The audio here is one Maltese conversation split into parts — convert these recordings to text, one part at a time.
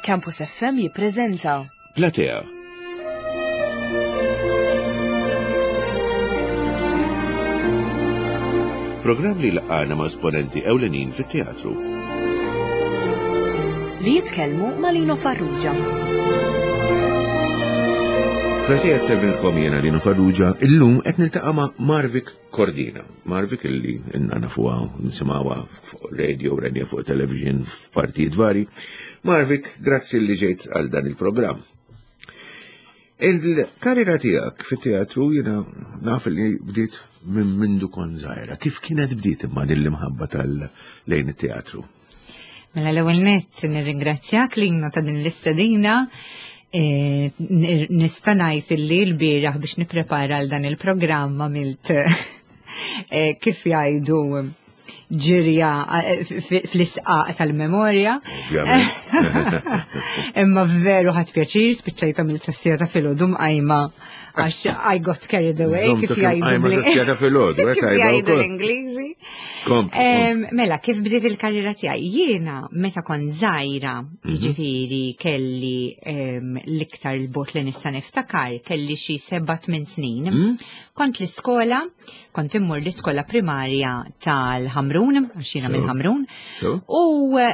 Campus FM jippreżenta Platea. Programm li laqgħana ma' esponenti ewlenin fit-teatru. Li jitkellmu ma' Lino Farrugia. Platea servilkom jena Lino Farrugia, illum qed niltaqa' ma' Marvik Cordina. Marvik illi inna nafuha nisimgħuha fuq radio, radio fuq television f'partijiet vari. Marvik, grazzi li ġejt għal dan il-programm. Il-karriera tiegħek fit-teatru jiena naf li bdiet minn mindu kon żgħira. Kif kienet bdiet imma din l-imħabba tal-lejn it-teatru? Mela l-ewwel nett nirringrazzjak lina ta' din l-istedina. E, nista' ngħid illi l-bieraħ biex nipprepara għal dan il-programm għamilt e, kif jgħidu ġirja eh, fl-isqaq tal-memorja. Imma veru ħadd pjaċir, spiċċajta mill-sassija ta' filgħodu mqajma għax I got carried away kif jgħidu eh, kif jgħidu l-Ingliżi. Mela, kif bdiet il-karriera tiegħi? Jiena meta kont żgħira, mhm. jiġifieri kelli l-iktar il-bot li nista' niftakar, kelli xi seba' tmien snin. Mhm. Kont l-iskola Kont immur l-iskola primarja tal-Ħamrun, għax jiena mill-Ħamrun. U eh,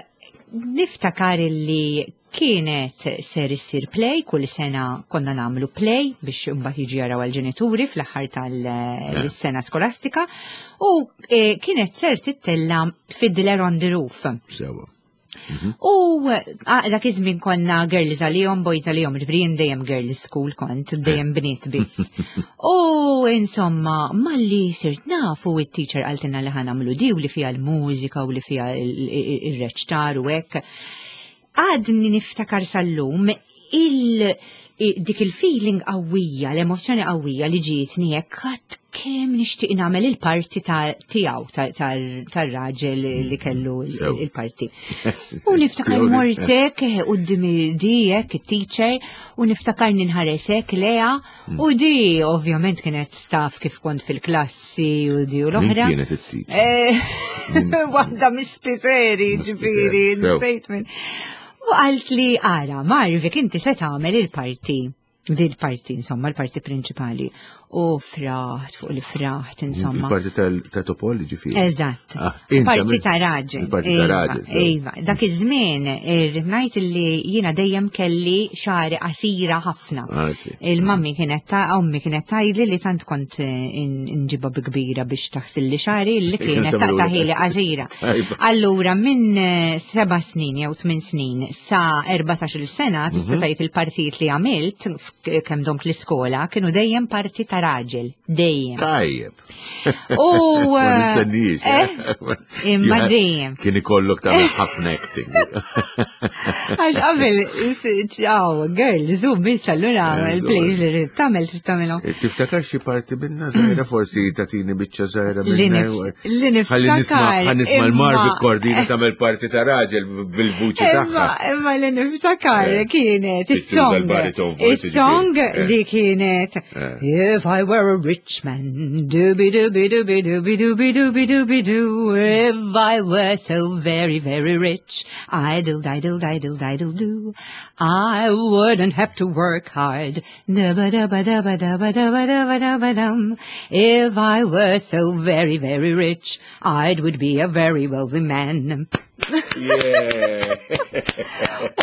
niftakar li kienet ser issir play, kull sena konna namlu play biex imbagħad jiġi jaraw għal-ġenituri fl-aħħar tal-sena skolastika u eh, kienet ser tittella Fiddler on the Roof. Sewa. Mhm. U dak iż-żmien konna girls għalihom, boys għalihom, ġifieri jien dejjem girls school kont, dejjem bniet biss. U insomma, malli sirt nafu it-teacher qaltilna li ħanamlu di u li fiha l-mużika u li fiha ir-reċtar u hekk. Għadni niftakar sal-lum il dik il-feeling qawwija, l-emozzjoni qawwija li ġietni hekk għad kemm nixtieq nagħmel il-parti tiegħu tar-raġel li kellu il-parti. U niftakar mortek eh, quddiem di hekk it-teacher u niftakar ninħaresek leha mm. u di ovvjament kienet taf kif kont fil-klassi u di u l-oħra. Kienet it-teacher. Eh, waħda mis-spiteri, ġifieri, nsejt minn. U qalt li ara, Marvik inti se tagħmel il-parti di l-parti, insomma, l-parti prinċipali. U fraħt fuq li fraħt, insomma. Il-parti ta' Topol, ġifieri. Eżatt. Ah, parti ta' raġel. Parti ta' iva, raġel. Iva, dak iż-żmien irrid ngħid li jiena dejjem kelli xari qasira ħafna. Ah, Il-mammi kienet ta' ommi kienet tgħidli li tant kont eh, nġibha bi kbira biex taħsilli xari li kienet taqtaħili qasira. Allura minn eh, seba' snin jew tmien snin sa 14-il sena tista' mhm. tgħid il-partijiet li għamilt kemm domt l-iskola kienu dejjem parti ta' raġel, dejjem. Tajjeb. U Ma eh, nistenniex. Eh, imma dejjem. Kien ikollok tagħmel ħafna acting. Għax qabel, ċaw, girl, zoom, biss allura eh, il-plays li rrid tagħmel trid tagħmelhom. Tiftakar xi parti minna żgħira forsi tagħtini biċċa żgħira minna. Li niftakar. Ħalli nisma' l-Marvi Kordina tagħmel parti ta' raġel bil-vuċi tagħha. Imma li niftakar kienet is-song. Is-song li kienet Eh. If I were a rich man, dooby dooby dooby dooby dooby dooby dooby doo. If I were so very, very rich, idle, idle, idle, idle do. I wouldn't have to work hard. Dubba dubba dubba dubba dubba dubba dubba dum. If I were so very, very rich, I would be a very wealthy man.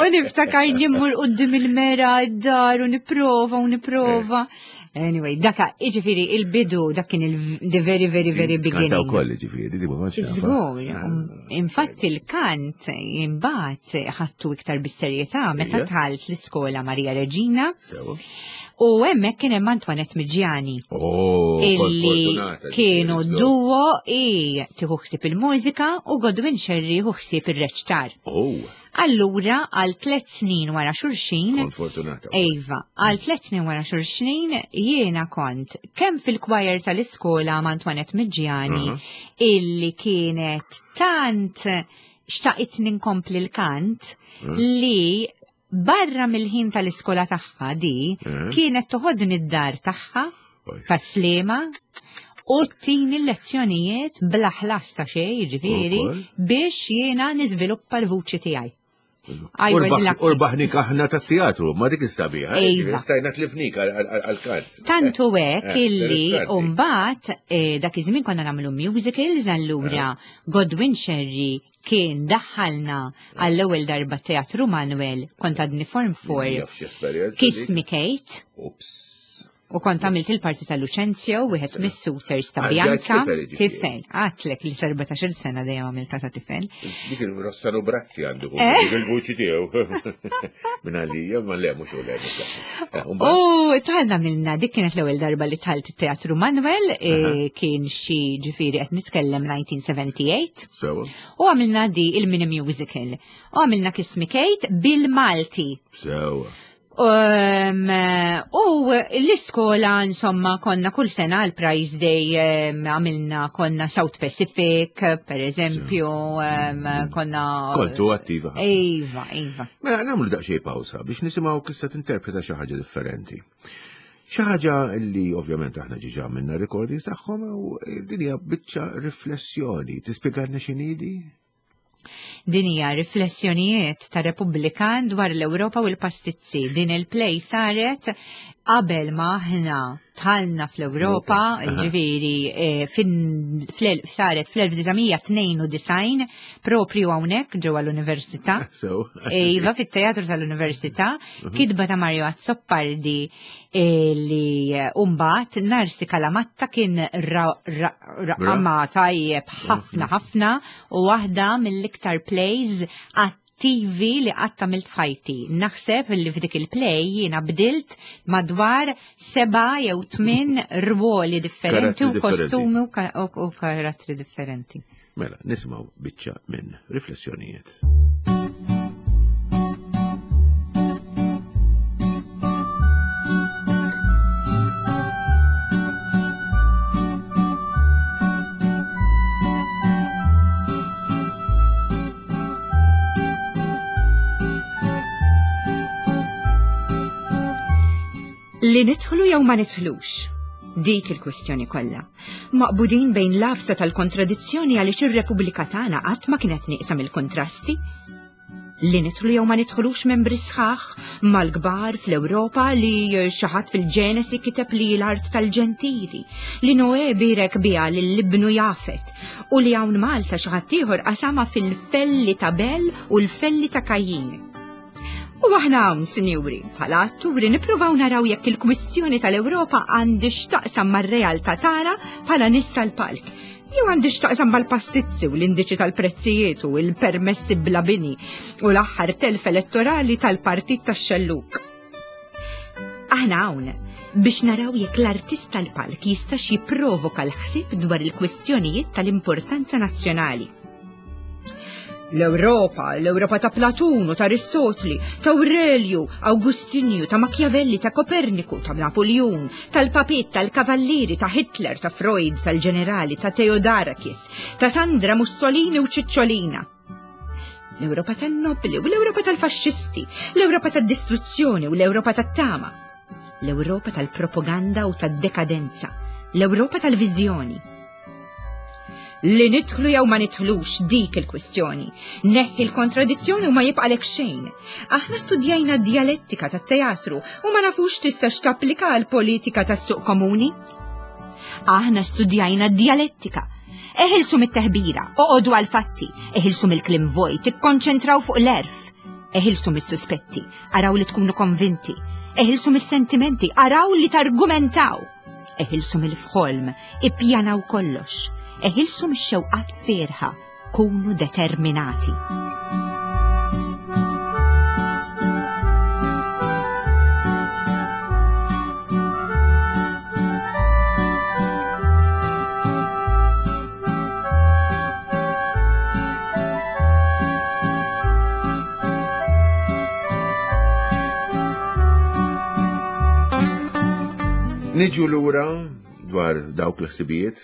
U niftakar nimmur qoddim il-mera id-dar u niprova u niprova. Anyway, daka, iġifiri, il-bidu, dak kien il-the very, very, very beginning. Kanta wkoll, iġifiri, di ma Żgur, um, infatti il-kant imbagħad ħattu iktar bis-serjetà meta tħalt l-iskola Maria Reġina. U hemmhekk kien hemm Antoinette Miġjani. Oh, illi kienu duo i tieħu ħsieb il-mużika u Godwin Sherry jieħu ħsieb ir-reċtar. Oh. Allura għal tliet snin wara xulxin. Fortunata. Ejva, għal tliet snin wara xulxin jiena kont kemm fil-kwajer tal-iskola ma' Antoinette Miġjani uh -huh. illi kienet tant xtaqit ninkompli l-kant uh -huh. li Barra mill-ħin tal-iskola tagħha di eh. kienet toħodni d-dar tagħha tas-Sliema u tini l-lezzjonijiet bla ħlas ta' xejn, jiġifieri, biex jiena niżviluppa l-vuċi tiegħi. I was lucky. Urbaħnik aħna ta' teatru, ma dik is-sabiħa. Eh, Iva. Stajna tlifnik għal-kant. Tantu hekk Eh, illi interessanti. mbagħad eh, dak iż-żmien konna nagħmlu musicals allura Godwin Sherry kien daħħalna għall-ewwel darba Teatru Manuel kont għadni form 4 Jaf x'esperjenza Kiss dik. Me Kate Ups. u kont għamilt il-parti ta' Lucenzio, wieħed mis-suitors ta' Ah, Bianca, ġajt tifel, jiġifieri. tifel, għatlek li 14 sena dejjem għamilta ta' tifel. Dik il-Rossano Brazzi għandu Eh? dik il-vuċi tiegħu. Minn għalija, ma le mhux u le. mhux le. Eh, u mbagħad? U tħalna minna, dik kienet l-ewwel darba li tħalt it-Teatru Manuel, eh, kien xi ġifieri qed nitkellem 1978, Sewa, u għamilna di il-mini musical. U għamilna Kiss Me Kate bil-Malti. sewa. Um, u l-iskola, insomma, konna kull sena għal Prize Day għamilna konna South Pacific, per eżempju, konna. Kontu attiva. ħafna. Iva, iva. Mela, nagħmlu daqsxejn pawsa biex nisimgħu kissa tinterpreta xi ħaġa differenti. Xi ħaġa li ovvjament aħna ġiġa għamilna recordings tagħhom u din hija biċċa riflessjoni. Tispjegalna x'inhi Din hija riflessjonijiet ta' Repubblikan dwar l-Ewropa u l-pastizzi. Din il-play saret qabel ma aħna tħalna fl-Ewropa, Aha. ġifieri eh, saret fl-1992 propju hawnhekk ġewwa l-Università. So. Iva, fit-teatru tal-Università, kitba ta' Mario Azzopardi eh, li umbat Narsi Kalamatta kien raqama tajjeb ħafna ħafna u waħda mill-iktar plays attivi li qatt għamilt f'ħajti. Naħseb li f'dik il-play jiena bdilt madwar seba' jew tmien rwoli differenti Karattri u differenti. kostumi u ka- u u karattri differenti. Mela, nisimgħu biċċa minn riflessjonijiet. Li nidħlu jew ma nidħlux. Dik il-kwistjoni kollha. Maqbudin bejn l-afsa tal-kontradizzjoni għaliex ir-Repubblika tagħna qatt ma kienet nieqsa mill-kontrasti. Li nidħlu jew ma nidħlux membri sħaħ mal-kbar fl-Ewropa li xi ħadd fil-Ġenesi kiteb li l-art tal-ġentili, li Noè birek biha lil ibnu Jafet u li hawn Malta xi ħadd ieħor qasama fil-felli ta' Bel u l-felli ta' Kajjin. U aħna hawn, sinjuri, bħala atturi nippruvaw naraw jekk il-kwistjoni tal-Ewropa għandix taqsam mar-realtà tagħna bħala nies tal-palk. Jew għandix taqsam mal-pastizzi u l-indiċi tal-prezzijiet u l-permessi bla bini u l-aħħar telf elettorali tal-partit tax-xelluk. Aħna hawn biex naraw jekk l-artist tal-palk jistax jipprovoka l-ħsieb dwar il-kwistjonijiet tal-importanza nazzjonali. L-Europa, l-Europa ta' Platun u ta' Aristotli, ta' Aurelio, Augustinju, ta' Machiavelli, ta' Koperniku, ta' Napoleon, tal-Papit, tal-Kavallieri, ta' Hitler, ta' Freud, tal-Ġenerali, ta' Theodorakis, ta' Sandra Mussolini u Cicciolina. L-Europa tan-nobli u l-Europa tal-faxxisti, l-Europa tad-distruzzjoni u l-Europa tat-tama, l-Europa tal-propaganda u tad-dekadenza, l-Europa tal-viżjoni. Li nidħlu jew ma nidħlux dik il-kwistjoni. Neħħi l-kontradizzjoni u ma jibqalek xejn. Aħna studjajna d-dialettika tat-teatru u ma nafux tistax tapplika għal politika tas-suq komuni. Aħna studjajna d-dialettika. Eħilsu mit-teħbira, oqodu għal-fatti, eħilsu mill-klim vojt, ikkonċentraw fuq l-erf. Eħilsu mis-suspetti, araw li tkunu konvinti. Eħilsu mis-sentimenti, araw li targumentaw. Eħilsu mill-fħolm, ippjanaw kollox. Eħilsu mix-xewqat ferħa, kunu determinati. Niġu lura dwar dawk l-ħsibijiet,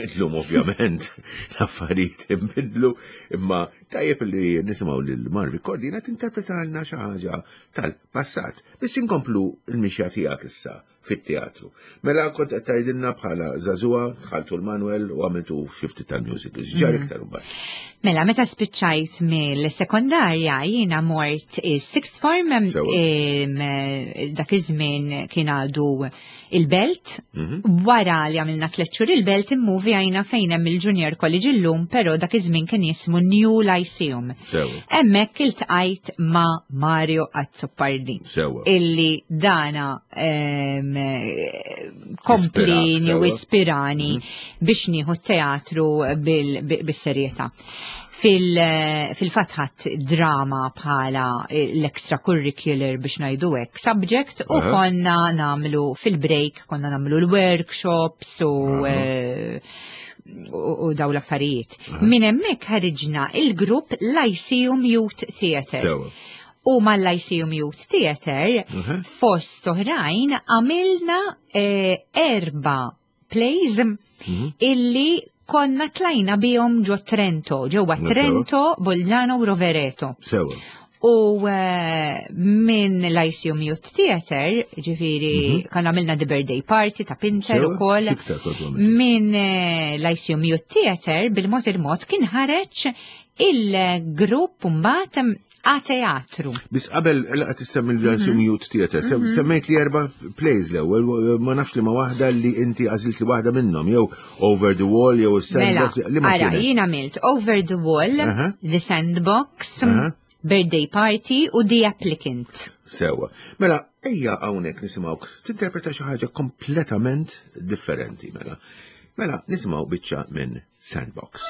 illum ovvjament l-affarijiet inbidlu, imma tajjeb li nisimgħu lil Marvi Cordina tinterpretalna xi ħaġa tal-passat. Biss inkomplu l-mixja tiegħek issa. fit-teatru. Mela kont qed tgħidilna bħala żagħżugħa dħaltu l-Manuel u għamiltu xi ftit tal-musicals. Ġar mhm. iktar imbagħad. Mela meta spiċċajt mill-sekondarja jiena mort is-sixth form dak iż-żmien kien għadu il-belt. Mhm. Wara li għamilna tliet xhur il-belt immuvi għajna fejn hemm il-Junior College illum, però dak iż-żmien kien jismu New Lyceum. Hemmhekk iltqajt ma' Mario Azzopardi. Illi dana komplini u ispirani mhm. biex nieħu teatru bis-serjetà. Fil-fatt ħadd drama bħala l-extracurricular biex ngħidu hekk subject u konna namlu fil-break, konna namlu l-workshops u eh, u daw l-affarijiet. Minn hemmhekk ħariġna il-grupp Lyceum Youth Theatre. U mal-Lyceum Youth Theatre fost oħrajn għamilna eh, erba' plays mhm. illi konna tlajna bihom ġo Trento, ġewwa Trento, Bolzano u Rovereto. Sewa. U eh, minn l-Lyceum Youth Theatre, ġifiri, mhm. kan għamilna The Birthday Party ta' Pinter u koll. Minn eh, l-Lyceum Youth Theatre, bil-mod il-mod kien ħareġ il-grupp mbagħad A teatru. Bis qabel laqgħet issemmi l-Lyceum mhm. Youth Theatre, mhm. semmejt li erba' plays l-ewwel, ma nafx li ma waħda li inti għażilt li waħda minnhom, jew Over the Wall jew mela, Sandbox. Li ma ara, jien għamilt Over the Wall, The Sandbox, Birthday Party u The Applicant. Sewa. Mela, ejja hawnhekk nisimgħuk tinterpreta xi ħaġa kompletament differenti mela. Mela, nisimgħu biċċa minn Sandbox.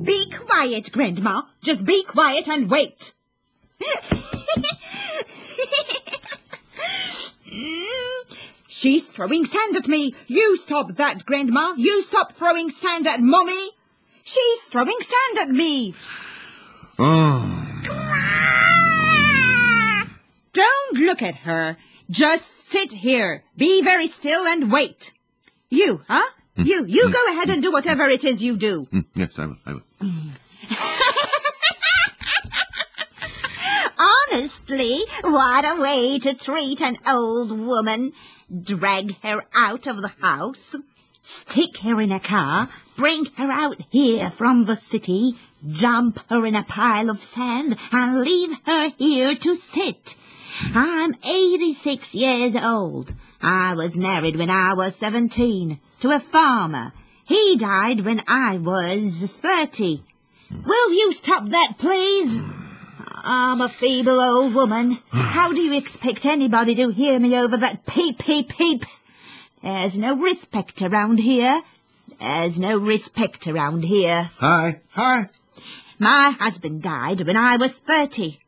Be quiet, Grandma. Just be quiet and wait. She's throwing sand at me. You stop that, Grandma. You stop throwing sand at Mommy. She's throwing sand at me. Oh. Don't look at her. Just sit here. Be very still and wait. You, huh? Mm. You, you mm. go ahead and do whatever it is you do. Mm. Yes, I will. I will. Honestly, what a way to treat an old woman. Drag her out of the house, stick her in a car, bring her out here from the city, dump her in a pile of sand, and leave her here to sit. I'm 86 years old. I was married when I was 17 to a farmer. He died when I was 30. Will you stop that, please? I'm a feeble old woman. How do you expect anybody to hear me over that peep, peep, peep? There's no respect around here. There's no respect around here. Hi, hi. My husband died when I was 30.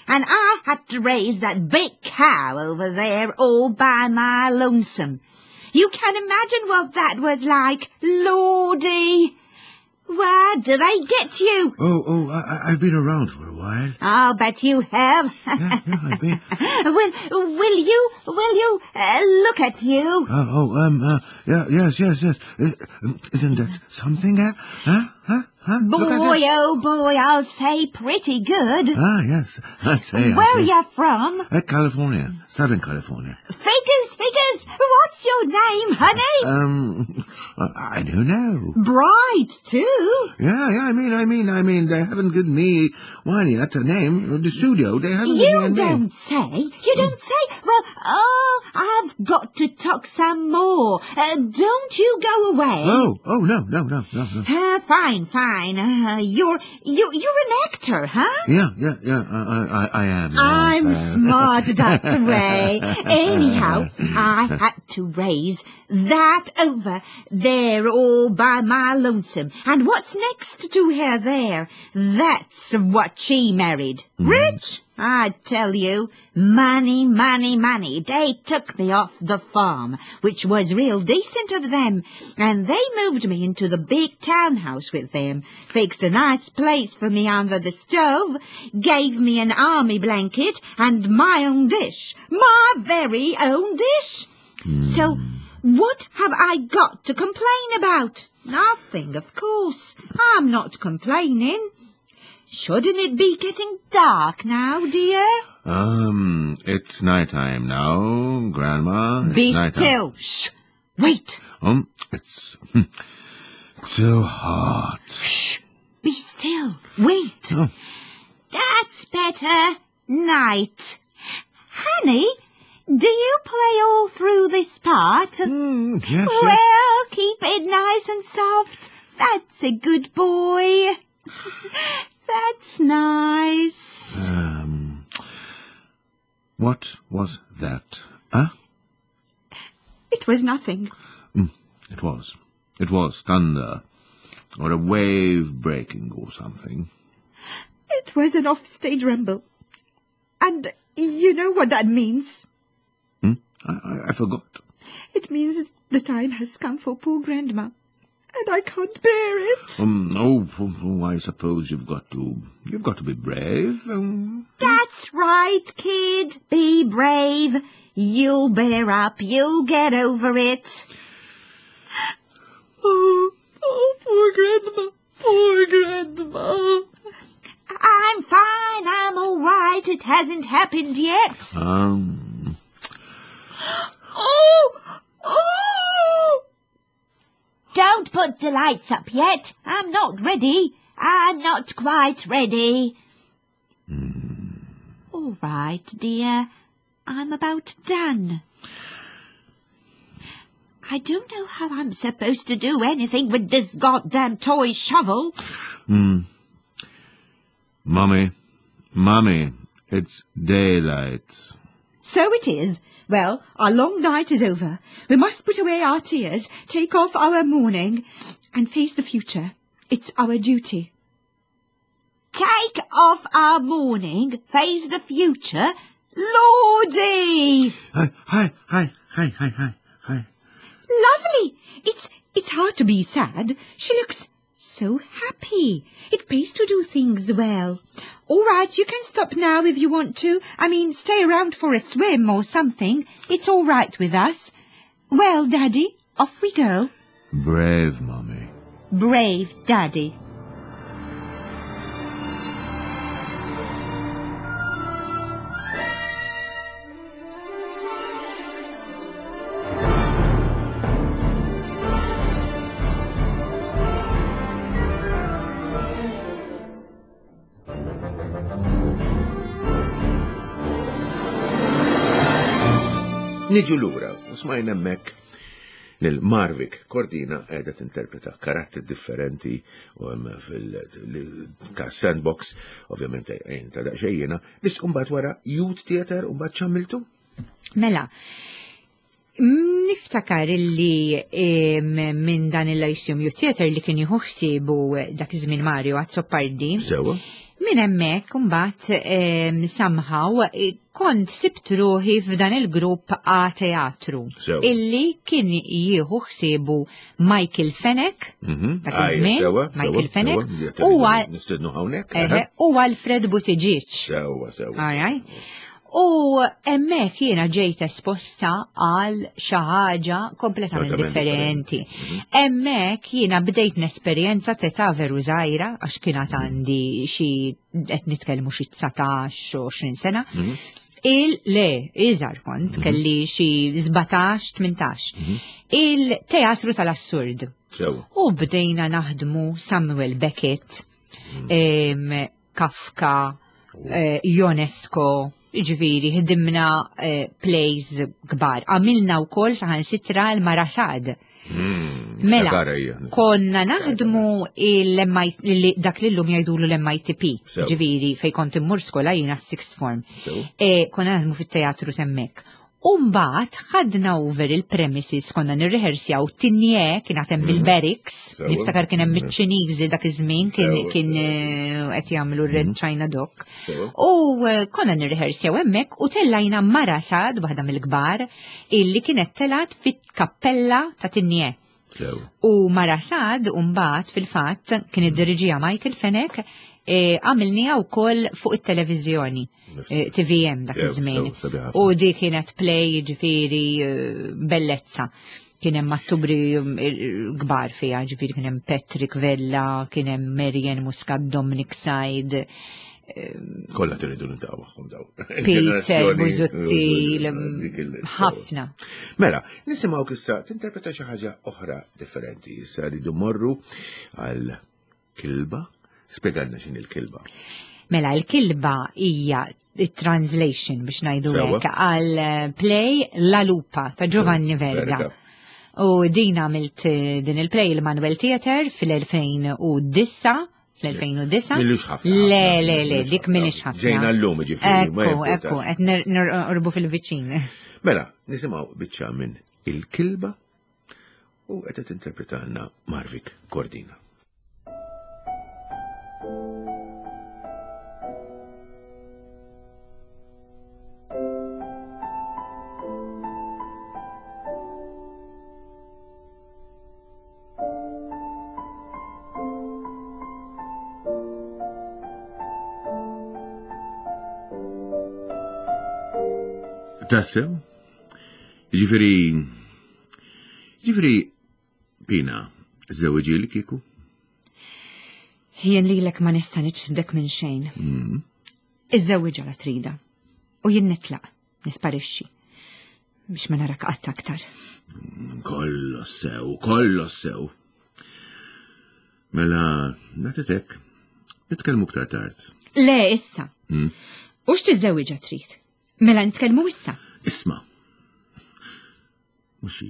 And I had to raise that big cow over there all by my lonesome. You can imagine what that was like, Lordy. Where do they get you? Oh, oh, I, I've been around for a while. I'll bet you have. Yeah, yeah, I've been. will, will you, will you, uh, look at you? Oh, oh, um, uh, yeah, yes, yes, yes. Uh, isn't that something, eh? Huh? Huh? Huh? Boy, oh boy, I'll say pretty good. Ah, yes, I say. Where are you from? Uh, California, Southern California. Figures, figures. What's your name, honey? Um, I don't know. Bright too. Yeah, yeah. I mean, I mean, I mean, they haven't given me one yet. A name, the studio. They haven't. You given me a name. don't say. You don't say. Well, oh, I've got to talk some more. Uh, don't you go away. Oh, oh, no, no, no, no, no. Uh, fine, fine. Uh, you're you you're an actor, huh? Yeah, yeah, yeah. I, I, I am. yes, I'm I am. smart that way. Anyhow, I had to raise that over there. There all by my lonesome. And what's next to her there? That's what she married. Rich? I tell you. Money, money, money. They took me off the farm, which was real decent of them. And they moved me into the big townhouse with them, fixed a nice place for me under the stove, gave me an army blanket and my own dish. My very own dish. So, what have I got to complain about? Nothing, of course. I'm not complaining. Shouldn't it be getting dark now, dear? It's night time now, Grandma. It's Be night time. still. Shh. Wait. It's so hot. Shh. Be still. Wait. Oh. That's better. Night. Honey, do you play all through this part? Yes, yes. Well, keep it nice and soft. That's a good boy. That's nice. What was that? Huh? It was nothing. It was. It was thunder. Or a wave breaking or something. It was an off-stage rumble. And you know what that means. I forgot. It means the time has come for poor Grandma. And I can't bear it. Oh, I suppose you've got to be brave. That's right, kid. Be brave. You'll bear up. You'll get over it. Oh, oh, poor Grandma. Poor Grandma. I'm fine. I'm all right. It hasn't happened yet. Oh, oh! Don't put the lights up yet. I'm not ready. I'm not quite ready. All right, dear. I'm about done. I don't know how I'm supposed to do anything with this goddamn toy shovel. Mummy, Mummy, it's daylight. So it is. Well, our long night is over. We must put away our tears, take off our mourning, and face the future. It's our duty. Take off our mourning, face the future? Lordy! Hi, hi, hi, hi, hi, hi, hi. Lovely! It's hard to be sad. She looks so happy. It pays to do things well. All right, you can stop now if you want to. I mean, stay around for a swim or something. It's all right with us. Well, Daddy, off we go. Brave, Mummy. Brave, Daddy. Niġu lura, u smajna hemmhekk lil Marvic Cordina qiegħda tinterpreta karattri differenti u hemm ta' Sandbox, ovvjament ejn ta' daqsxejn jiena, biss imbagħad wara Youth Theatre u mbagħad x'għamiltu? Mela, niftakar illi minn dan il-Lyceum Youth Theatre li kien jieħu ħsiebu dak iż-żmien Mario Azzopardi. Sewa. Minn hemmhekk imbagħad somehow kont sibt ruħi f'dan il-grupp A Teatru. Sewa. Illi kien jieħu ħsiebu Michael Fenech, dak iż-żmien, Michael Fenech, Nistednu hawnhekk, u Alfred Buttigieg. Sewa, sewa. All right. U hemmhekk jiena ġejt esposta għal xi ħaġa kompletament Totalment differenti. differenti. Hemmhekk jiena bdejt nesperjenza t'età veru żgħira, għax kienet għandi xi qed nitkellmu xi 19 u 20 sena. Il-le, iżgħar kont, kelli xi 17, 18. Il-teatru tal-assurd. U bdejna naħdmu Samuel Beckett, Kafka, Ionesco, ġifieri, ħdimna plays kbar. Għamilna wkoll saħansitra l-Marasad. Mela, konna naħdmu dak li llum jgħidulu l-MITP, ġifieri, fej kont immur skola jiena sixth form. Konna naħdmu fit-teatru temmek. U mbagħad ħadna over il-premises konna nirrehersjaw Tinje kien għad hemm mhm. il-barracks, niftakar kien hemm mhm. iċ-Ċiniżi dak iż-żmien kien kien eh, qed jagħmlu Red mhm. China Dock. U eh, konna nirrehersjaw hemmhekk u tellajna Mara Sad waħda mill-kbar illi kienet telat fit-kappella ta' Tinje. U Mara Sad mbagħad fil-fatt kien iddiriġija Michael Fenech eh, għamilniha wkoll fuq it-televiżjoni. Eh, TVM dak iż-żmien. U di kienet play ġifieri eh, bellezza. Kien hemm attubri mm, kbar fiha, ġifieri kien hemm Patrick Vella, kien hemm Marian Muscat, Dominic Said. Eh, Kollha tiridu nintaqgħu magħhom daw. Peter Busuttil, ħafna. Mela, nisimgħu issa tinterpreta xi ħaġa oħra differenti. Issa rridu morru għal Kilba? Spjegalna x'inhi l-kilba. Mela, l-kilba hija translation biex ngħidu hekk għal eh, play La Lupa ta' Giovanni Verga. U din għamilt eh, din il-play il-Manuel Theater fil-2009 fl-2009. Millux ħafna. Le, le, le, dik millux ħafna. Ġejna l-lum ġifiri. Ekku, ekku, qed nirqorbu fil-viċin. Mela, nisimgħu biċċa minn il-kilba U qed tinterpretalna Marvik Cordina. Tassew? Ġifiri, Ġifri, Pina, żewġi li kieku? Jien lilek ma nista' niċdek minn xejn. Mm. Iżżewwiġha la trida. U jien nitlaq, nisparixxi. Biex ma narak qatt aktar. Kollo sew, kollo sew. Mela, nagħtitek, nitkellmu aktar tard. Le, issa. Mm. U x'tiżżewwiġha trid? Mela nitkellmu issa. Isma'. Mhux xi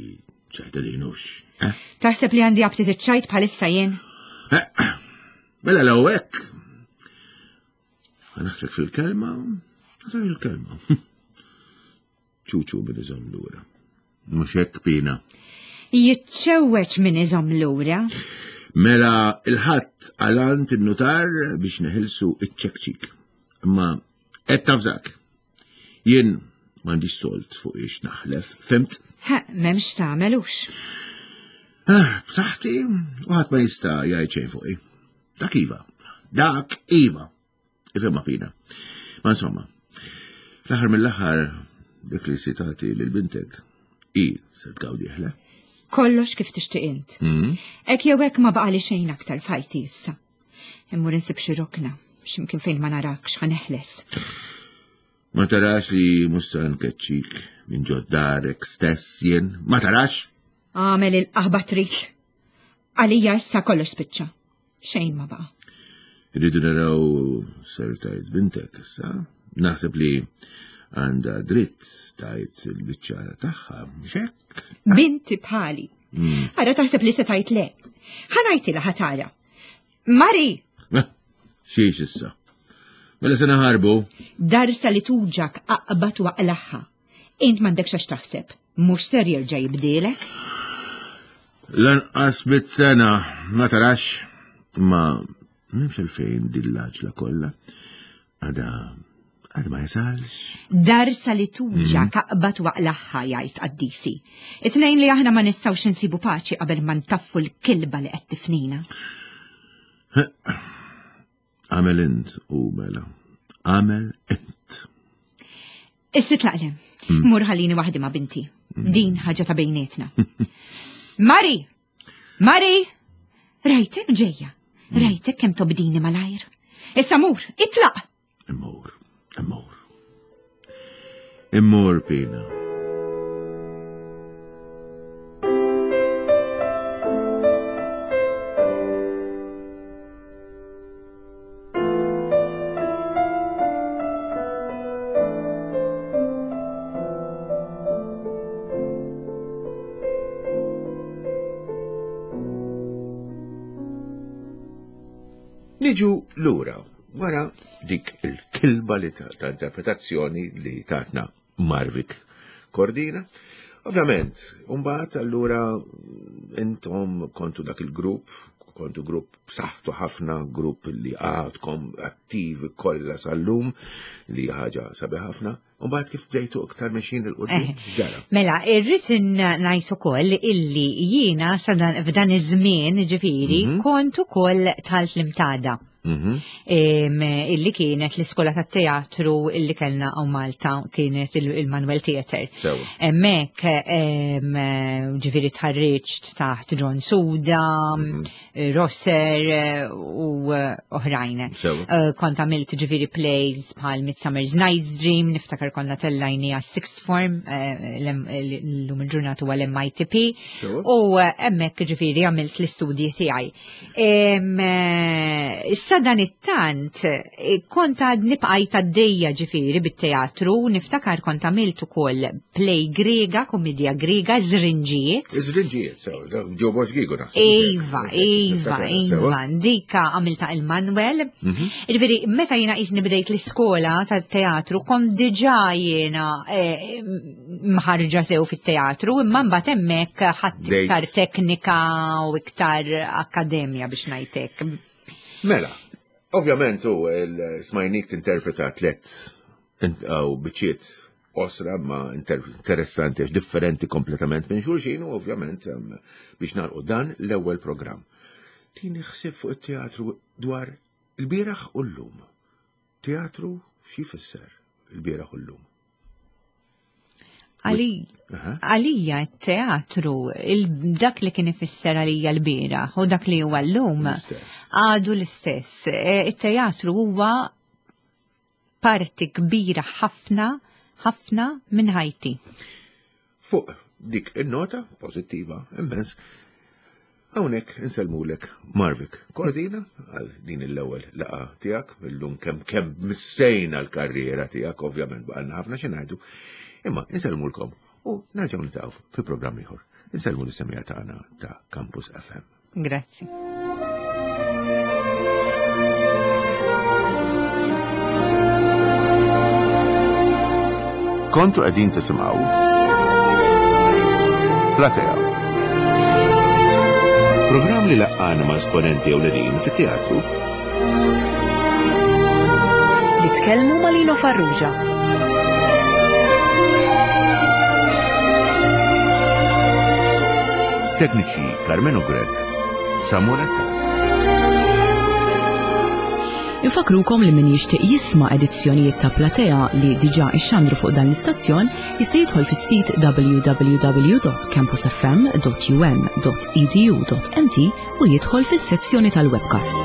ċajta din hux. Eh? Taħseb li għandi aptit iċ-ċajt bħalissa jien? Eh, mela law hekk. Naħseb fil-kelma, naħseb fil-kelma. Ċuċu min iżomm lura. Mhux hekk pina. Jiċċewweġ min iżomm lura. Mela il-ħadd għalant in-nutar biex neħilsu iċ-ċekċik. Imma qed tafżak. Jien m'għandix sold fuq ix naħlef, fimt? Ha, m'hemmx tagħmel hux. Ah, b'saħħti u ħadd ma jista' jgħid xejn fuqi. Dak iva. Dak iva. Ifhimha fina. Ma insomma, fl-aħħar mill-aħħar dik li sitati lil bintek i se tgawdi ħla. Kollox kif tixtieq int. Mm. Hekk jew hekk ma baqali xejn aktar f'ħajti issa. Immur insib xi rokna, x'imkien fejn ma narakx ħa neħles. Ma tarax li mhux se nkeċċik minn ġod darek stess jien? Ma tarax? Għamel il-qaħba trid. Għalija issa kollox spiċċa. Xejn ma baqa'. Irridu naraw ser tajt bintek issa. Naħseb li għandha dritt tajt il-biċċa tagħha, mhux hekk? Binti bħali. Mm. Ara taħseb li se tajt le. Ħanajtilha ħatara. Mari! Eh, xiex issa? Mela se naħarbu? Darsa li tuġak aqbad waqlaħħa. Int m'għandekx għax taħseb. Mhux ser jerġa' jibdielek? Lanqas bit sena, ma tarax, ma m'hemmx għalfejn din l-għaġla kollha. Għada għad ma jasalx. Darsa li tuġa mm. kaqbat waqlaħħa jgħid qaddisi. It-tnejn li aħna ma nistgħux insibu paċi qabel ma ntaffu l-kilba li qed tifnina. Għamel int u mela. Għamel int. Issi tlaqlem. Mm. Mur ħallini waħdi ma' binti. Mm. Din ħaġa ta' bejnietna. Mari! Mari! Rajtek ġejja. Rajtek kemm tobdini malajr. Issa mur, itlaq! Immur, immur. Immur, Pina. Niġu lura wara dik il-kilba li ta' interpretazzjoni li tatna Marvik. Cordina. Ovvjament, mbagħad allura intom kontu dak il-grupp, kontu grupp b'saħħtu ħafna, grupp li għadkom attivi kollha sal-lum, li ħaġa sabiħ ħafna. Mbagħad kif bdejtu iktar mexjin 'il quddiem, x'ġara? Mela, irrid ngħid ukoll illi jiena f'dan iż-żmien, ġifieri, kont ukoll dħalt l-Imtada. Illi kienet l-iskola tat-teatru illi kellna hawn Malta, kienet il-Manuel Theatre. Hemmhekk ġifieri tħarriġt taħt John Suda, Rosser u oħrajn. Kont għamilt ġifieri plays bħal Midsummer's Night's Dream, niftakar konna tellajni għas sixth form, l-lum il-ġurnata huwa l-MITP. U hemmhekk ġifieri għamilt l-istudji tiegħi. Issa dan it-tant, kont għadni bqajt għaddejja ġifieri bit-teatru, niftakar kont għamilt ukoll play Grega, komedja Grega, Żrinġijiet. Żrinġijiet, sew, ġo Bosch Gigo naħseb. Iva, iva, iva, dika għamilta il-Manuel. Ġifieri, meta jiena qisni bdejt l-iskola tat-teatru, kont diġà jiena mħarġa sew fit-teatru, imma mbagħad hemmhekk ħadd iktar teknika u iktar akkademja biex ngħidlek. Mela, ovvjament u smajnik tinterpreta tliet u biċċiet osra ma interessanti għax differenti kompletament minn xulxin u ovvjament biex nagħlqu dan l-ewwel programm. Tini ħsieb fuq it-teatru dwar il-bieraħ u llum. Teatru xi jfisser il-bieraħ u llum? Għalija t-teatru, dak li kien ifisser għalija l-bieraħ u dak li huwa llum għadu l-istess. It-teatru huwa parti kbira ħafna, ħafna minn ħajti. Fuq dik in-nota pożittiva immens, hawnhekk insellmulek Marvic Cordina għal din l-ewwel laqgħa tiegħek, illum kemm kemm missejna l-karriera tiegħek, ovvjament baqalna ħafna xi ngħidu, imma insellmulkom u nerġgħu niltaqgħu fi programm ieħor. Insellmu lis-semija tagħna ta' Campus FM. Grazzi. Kontu qegħdin tisimgħu Platea. Programm li laqqana ma' esponenti ewlenin fit-teatru. Li tkellmu ma' Lino Farrugia. Tekniċi Carmenu Grech, Samuel Attard. Infakrukom li min jixtieq jisma' edizzjonijiet ta' Platea li diġà ixxandru fuq dan l-istazzjon jista' jidħol fis-sit www.campusfm.um.edu.mt u jidħol fis-sezzjoni tal-webcasts.